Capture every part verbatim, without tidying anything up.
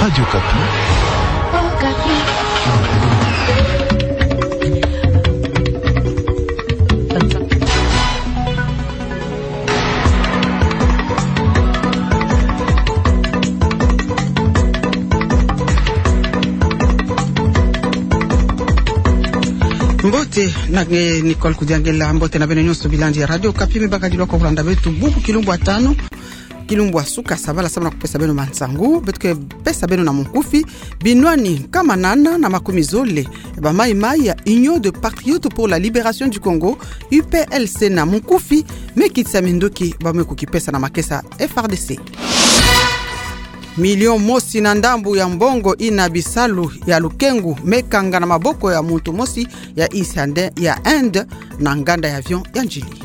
Radio Okapi. Mbote na nge Nicole Kudiangela, mbote na beno nyonso bilandi ya Radio Okapi. Me baka dilwa kwa kulanda beto bubu kilumbu ya tanu, kilumbu ya suka ya sabala, samu na kupesa beno mansangu. Beto ke pesa beno na munkufi: binwani nkama nana na makumi zole ya ba maï-maï ya Union des Patriotes pour la Libération du Congo, U P L C, na munkufi me kitisa minduki bawu me kukipesa na makesa F R D C. Milion mosi na ndambu ya mbongo ina bisalu ya lukengu me kanga na maboko ya muntu mosi ya Inde, ya Inde, na nganda ya avion ya njili.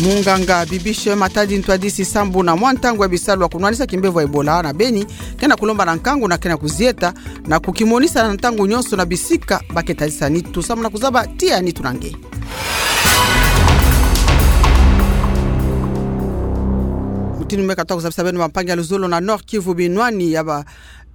Munganga Bibiche Matadi Ntwadisi, sambu na mwa ntangu ya bisalu ya kunwanisa kimbevo ya Ebola na Beni, ke na kulomba na nkangu na ke na kuzieta na kukimonisa na ntangu nyonso na bisika ba ke tadisa nitu, samu na kuzaba tiya nitu na nge. Mutindu me katuka kuzabisa beno, bampangi, ya luzolo, na Nord-Kivu, binwani ya ba,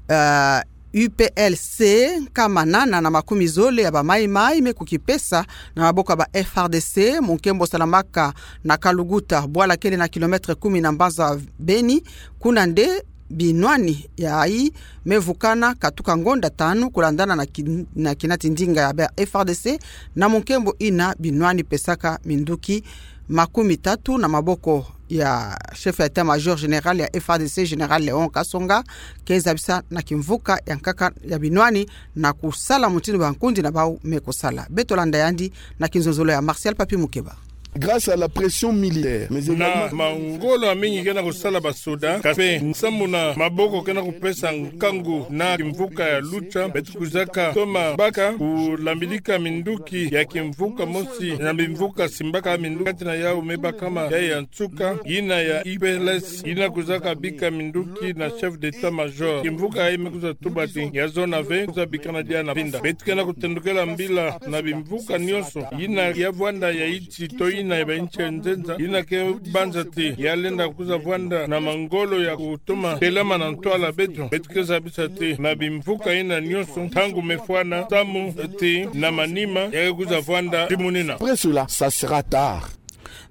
eh, U P L C nkama nana na makumi zole ya ba maï-maï me kukipesa na maboko ya ba F R D C mu nkembo salamaka na Kaluguta, bwala kele na kilomètre kumi na mbanza Beni. Kuna nde binwani yayi me vukana katuka ngonda tanu, kulandana na kin-, na kinati ndinga ya ba F R D C, na mu nkembo ina binwani pesaka minduki makumi tatu na maboko ya chef ya état-major général ya F R D C, Général Léon Kasonga, ke zabisa na kimvuka ya nkaka ya binwani na kusala mutindu bankundi na bawu me kusala. Beto landa yandi na kinzonzolo ya Martial Papi Mukeba. Grâce à la pression militaire, mais également na mangolo ya mingi ke na kusala basoda, kasi mpe sambu na maboko ke na kupesa nkangu na kimvuka ya Lucha, beto kwizaka toma baka kulambidika minduki ya kimvuka mosi na bimvuka simbaka minduki, kati na yawu me bakama ya ya nsuka, ina ya U P L C, ina kwizaka bika minduki na chef d'état-major. Kimvuka yayi me kwiza tuba ti ya zona ve, kwiza bikana diaka na pinda. Beto ke na kutendukela mbila na bimvuka nyonso, ina ya vwanda ya insi to ina ya ba insi ya nzenza, ina ke banza ti ya lenda kwiza vwanda na mangolo ya kutoma telama na ntwala beto. Beto ke zabisa ti na bimvuka ina nyonso, ntangu me fwana, samu ti na manima ya ke kwiza vwanda ti munina. Après cela, ça sera tard.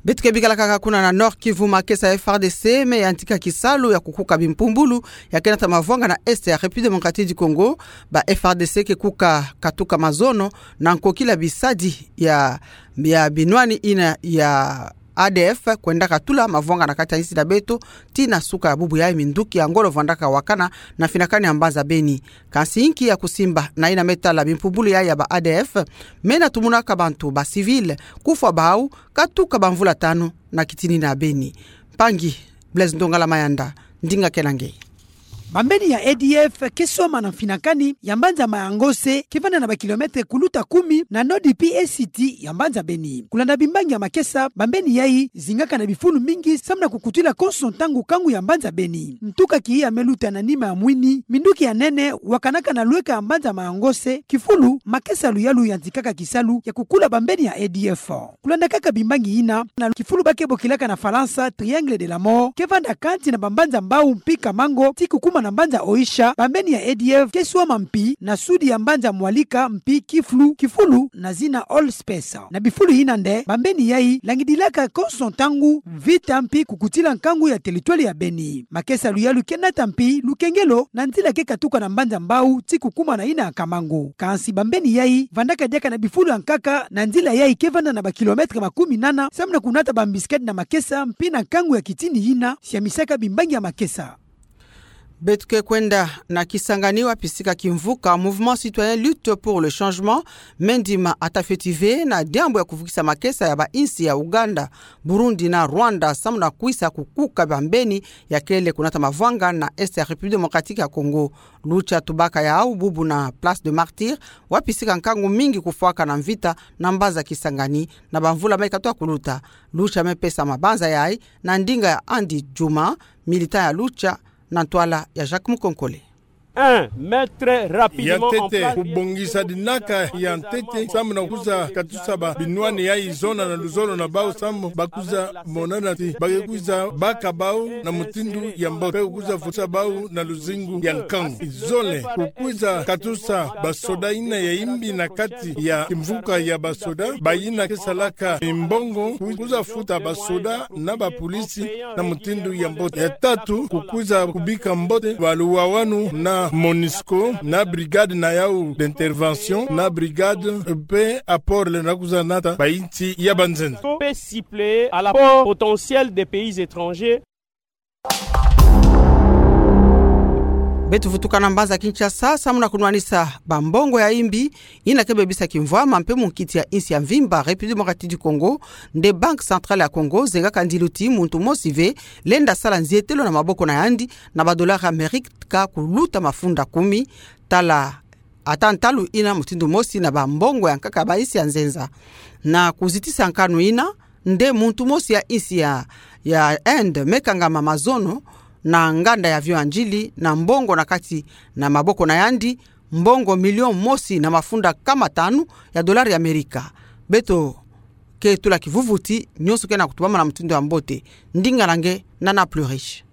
Beto ke bikala kaka kuna na Nord-Kivu, makesa ya F R D C me yantika kisalu ya kukuka bimpumbulu ya ke nata mavwanga na Est ya République Démocratique du Congo. Ba F R D C ke kuka katuka mazono na nkokila bisadi ya, ya binwani ina ya A D F kwendaka tula mavwanga na kati ya insi na beto. Tii na suka ya bubu yayi, minduki ya ngolo vwandaka wakana na finakani ya mbanza Beni. Kansi inki ya kusimba na ina me tala bimpumbulu yayi ya ba A D F, me na tumunaka bantu ba civil kufwa bawu katuka bamvula tanu na kitinina ya Beni. Mpangi Blaise Ndongala Mayanda, ndinga ke na nge. Bambeni ya A D F ke swama na finakani ya mbanza Mayangose, ke vanda na ba kilomètre kuluta kumi na nord-est ya mbanza Beni. Kulanda bimbangi ya makesa, bambeni yayi zingaka na bifulu mingi samu na kukutila konso ntangu kangu ya mbanza Beni. Ntuka kiya me luta na nima ya mwini, minduki ya nene wakanaka na lweka ya mbanza Mayangose, kifulu makesa luyalu yantikaka kisalu ya kukula bambeni ya A D F. Kulanda kaka bimbangi yina, na kifulu ba ke bokilaka na Falansa Triangle de la Mort, ke vanda kansi na bambanza Mbau mpi Kamango, tii kukuma na mbanza Oicha, bambeni ya A D F ke swama mpi na sud ya mbanza Mwalika mpi Kiflu, kifulu na zina All Space. Na bifulu yina nde bambeni yayi langidilaka konso ntangu mvita mpi kukutila nkangu ya territoire ya Beni. Makesa luyalu ke nata mpi lukengelo na nzila ke katuka na mbanza Mbau tii kukuma na yina ya Kamango. Kansi bambeni yayi vandaka diaka na bifulu ya nkaka, na nzila yayi ke vanda na ba kilomètre makumi nana, samu na kunata bambisiketi na makesa mpi na nkangu ya kitini yina. Siamisaka bimbangi ya makesa. Beto ke kwenda na Kisangani, wapi sika kimvuka Mouvement Citoyen Lutte pour le Changement me ndima atafeti ve na diambu ya kuvukisa makesa ya ba insi ya Ouganda, Burundi na Rwanda samu na kwisa kukuka bambeni ya kele kunata mavwanga na Est ya République Démocratique ya Congo. Lucha tubaka yawu bubu na Place des Martyrs, wapi sika nkangu mingi kufwaka na mvita na mbanza Kisangani na bamvula me katoa kuluta. Lucha me pesa mabanza yayi na ndinga ya Andy Djuma, militant ya Lucha, na ntwala ya Jacques Mukonkole. Un, mettre rapidement en place. Ya ntete, kubongisa dinaka ya ntete, samu na kwiza katusa ba binwani yayi zona na luzolo na bawu samu ba kwiza monana ti ba ke kwiza baka bawu na mutindu ya mbote, pe kwiza futa bawu na luzingu ya nkangu. Zole, kukwiza katusa basoda yina ya imbi na kati ya kimvuka ya basoda, bayina ke salaka mbongo, kwiza futa basoda na bapolisi na mutindu ya mbote. Ya tatu, kukwiza kubika mbote baluwawanu na MONUSCO, na brigade na yawu d'intervention, na brigade pe apport lenda kwiza nata ba insi ya banzenza. Peut suppléer à l'apport potentiel des pays étrangers. Beto vutuka na mbanza Kinshasa, samu na kunwanisa bambongo ya imbi, yina ke bebisa kimvwama mpe munkiti ya insi ya mvimba République Démocratique du Congo, nde Banque Centrale ya Congo zengaka ndilu ti muntu mosi ve lenda sala nzietelo na maboko na yandi na ba dollars Amerika kuluta mafunda kumi, tala ata ntalu yina mutindu mosi na bambongo ya nkaka ba insi ya nzenza. Na kuzitisa nkanu yina, nde muntu mosi ya insi ya, ya Inde me kangama mazono na nganda ya avion ya ndjili na mbongo na kati na maboko na yandi, mbongo million mosi na mafunda kama tanu ya dollars ya Amerika. Beto ke tula kivuvuti, nyonso ke na kutubama na mutindu ya mbote. Ndinga na nge Nana Plus Riche.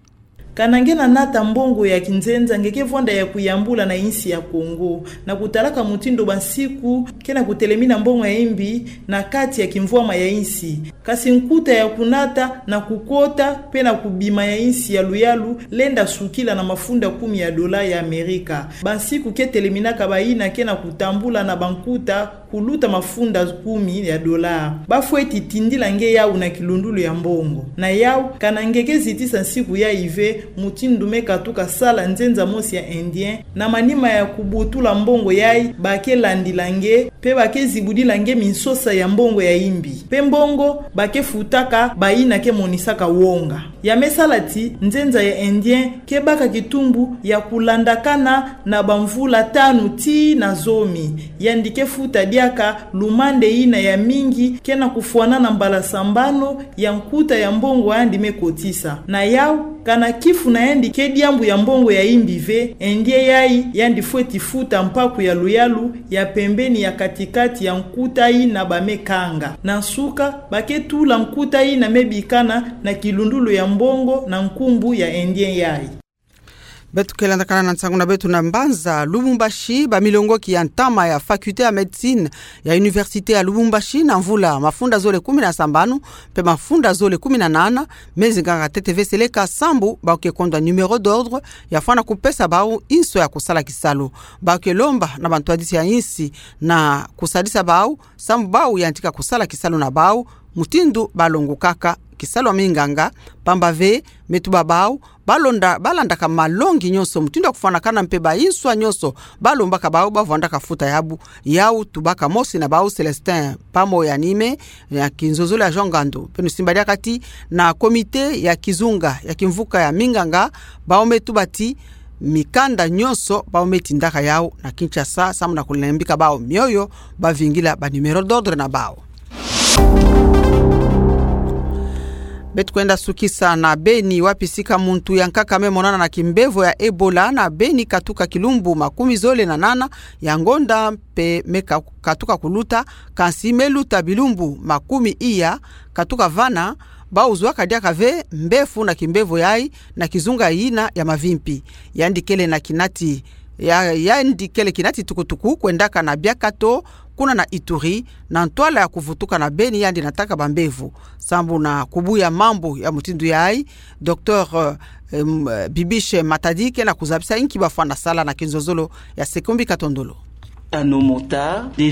Kana nge na nata mbongo ya kinzenza, nge ke vwanda ya kuyambula na insi ya Congo, na kutalaka mutindu bansiku ke na kutelemina mbongo ya imbi na kati ya kimvwama ya insi. Kasi nkuta ya kunata na kukota pe na kubima ya insi ya luyalu lenda sukila na mafunda kumi ya dollars ya Amerika. Bansiku ke teleminaka bayina ke na kutambula na bankuta kuluta mafunda kumi ya dollars. Ba fweti tindila nge yawu na kilundulu ya mbongo. Na yawu, kana nge ke zitisa nsiku yayi ve, mutindu me katuka sala nzenza mosi ya Indien, na manima ya kubutula mbongo yayi, ba ke landila nge, pe ba ke zibudila nge minsosa ya mbongo ya imbi. Pe mbongo ba ke futaka bayina ke monisaka wonga. Ya me sala ti nzenza ya Indien ke baka kitumbu ya kulandakana na bamvula tanu tii na zomi. Yandi ke futa diaka lumande yina ya mingi ke na kufwanana mbala sambanu ya nkuta ya mbongo yandi me kotisa. Na yawu, kana kifu na yandi ke diambu ya mbongo ya imbi ve, Indien yayi yandi fweti futa mpaku ya luyalu ya pembeni ya katikati ya nkuta yina ba me kanga. Na nsuka, ba ke tula nkuta yina me bikana na kilundulu ya mbongo na nkumbu ya Indien yayi. Beto ke landakana na nsangu na beto na mbanza Lubumbashi, bamilongoki ya ntama ya faculté ya médecine ya université ya Lubumbashi na mvula mafunda zole kumi na sambanu pe mafunda zole kumi na nana, me zinganga ntete ve seleka sambu bawu ke kondwa numéro d'ordre ya fwana kupesa bawu inso ya kusala kisalu. Bawu ke lomba na bantwadisi ya insi na kusadisa bawu sambu bawu yantika kusala kisalu na bawu mutindu ba longokaka kisalu ya minganga, pamba ve me tuba bawu ba londa, ba landaka malongi nyonso, mutindu ya kufwanakana mpe ba inswa nyonso ba lombaka bawu, ba vwandaka futa yabu. Yawu tubaka mosi na bawu Célestin Pamo ya Nime, ya kinzozolo ya Jean Ngandu. Pe nu simba diaka ti na comité ya kizunga ya kimvuka ya minganga, bawu me tuba ti mikanda nyonso bawu me tindaka yawu na Kinshasa, samu na kulembika bawu mioyo, ba vingila ba numéro d'ordre na bawu. Beto kwenda sukisa na Beni, wapi sika muntu ya nkaka me monana na kimbevo ya Ebola na Beni katuka kilumbu makumi zole na nana ya ngonda mpe me ka-, katuka kuluta, kansi me luta bilumbu makumi iya katuka vana. Bawu zwa kadiaka ve mbefu na kimbevo yayi na kizunga yina ya Mavimpi. Yandi kele na kinati, ya, yandi kele kinati tukutuku kwendaka na Biakato, kuna na Ituri, na ntwala ya kuvutuka na Beni, yandi nataka bambevo. Sambu na kubuya mambu ya mutindu yayi, docteur, euh, em, Bibiche Matadi ke na kuzabisa inki ba fwana sala na kinzozolo ya Sekombi Katondolo.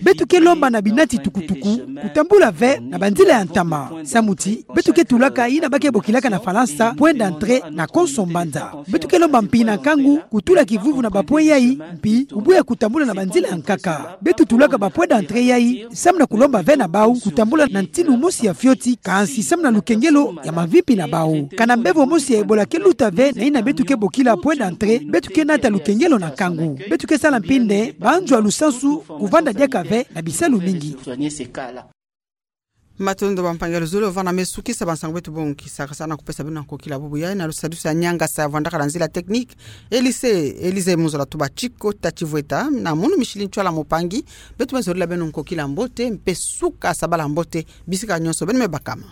Beto ke lomba na binati tukutuku kutambula ve na banzila ya ntama. Samu ti beto ke tulaka yina ba ke bokilaka na Falansa point d'entrée na konso mbanza. Beto ke lomba mpi na nkangu kutula kivuvu na ba point yayi, mpi kubuya kutambula na banzila ya nkaka. Beto tulaka ba point d'entrée yayi samu na kulomba ve na bawu kutambula na ntinu mosi ya fioti, kansi samu na lukengelo ya mavimpi na bawu. Kana mbevo mosi ya Ebola ke luta ve na yina beto ke bokila point d'entrée, beto ke nata lukengelo na nkangu. Beto ke sala mpi nde banzwa lusansu kuvanda diaka ve na bisalu mingi. Matondo bampangi ya luzolo, vana me sukisa bansango beto bongukisa, kasana kupesa beno na kokila bubu ya, na lusadusa nyangasa vwandaka la nzila technique, Elise, Elise Muzola Tuba Chiko, Tati Vweta, na munu Micheline Chwala Mopangi, beto me zolila beno na kokila mbote, mpe suka sabala mbote, bisika nyonso, beno me bakama.